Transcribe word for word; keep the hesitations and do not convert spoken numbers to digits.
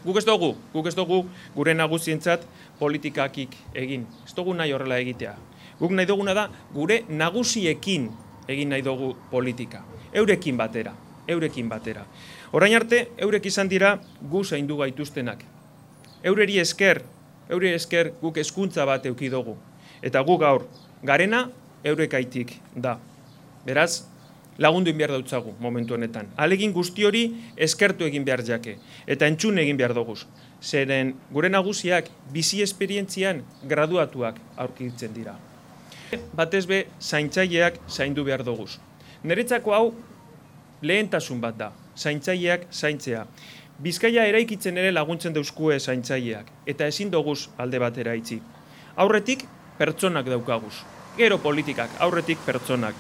Guk ez dugu, guk ez dugu gure nagusientzat politikakik egin. Ez dugu nahi horrela egitea. Guk nahi duguna da gure nagusiekin egin nahi dugu politika. Eurekin batera, eurekin batera. Orain arte, eurek izan dira gu zaindu gaituztenak. Eureri esker, eure esker guk hezkuntza bat eduki dugu. Eta gu gaur, garena eurekaitik da. Beraz, lagundu egin behar dautzagu momentu honetan. Alegin guzti hori eskertu egin behar jake. Eta entzun egin behar dugu. Zeren gure nagusiak bizi esperientzian graduatuak aurkitzen dira. Batez be, zaintzaileak zaindu behar dugu. Niretzako hau lehentasun bat da, zaintzaileak zaintzea. Bizkaia eraikitzen ere laguntzen dauzkue zaintzaileak, eta ezin doguz alde batera itzi. Aurretik, pertsonak daukaguz. Gero politikak, aurretik pertsonak.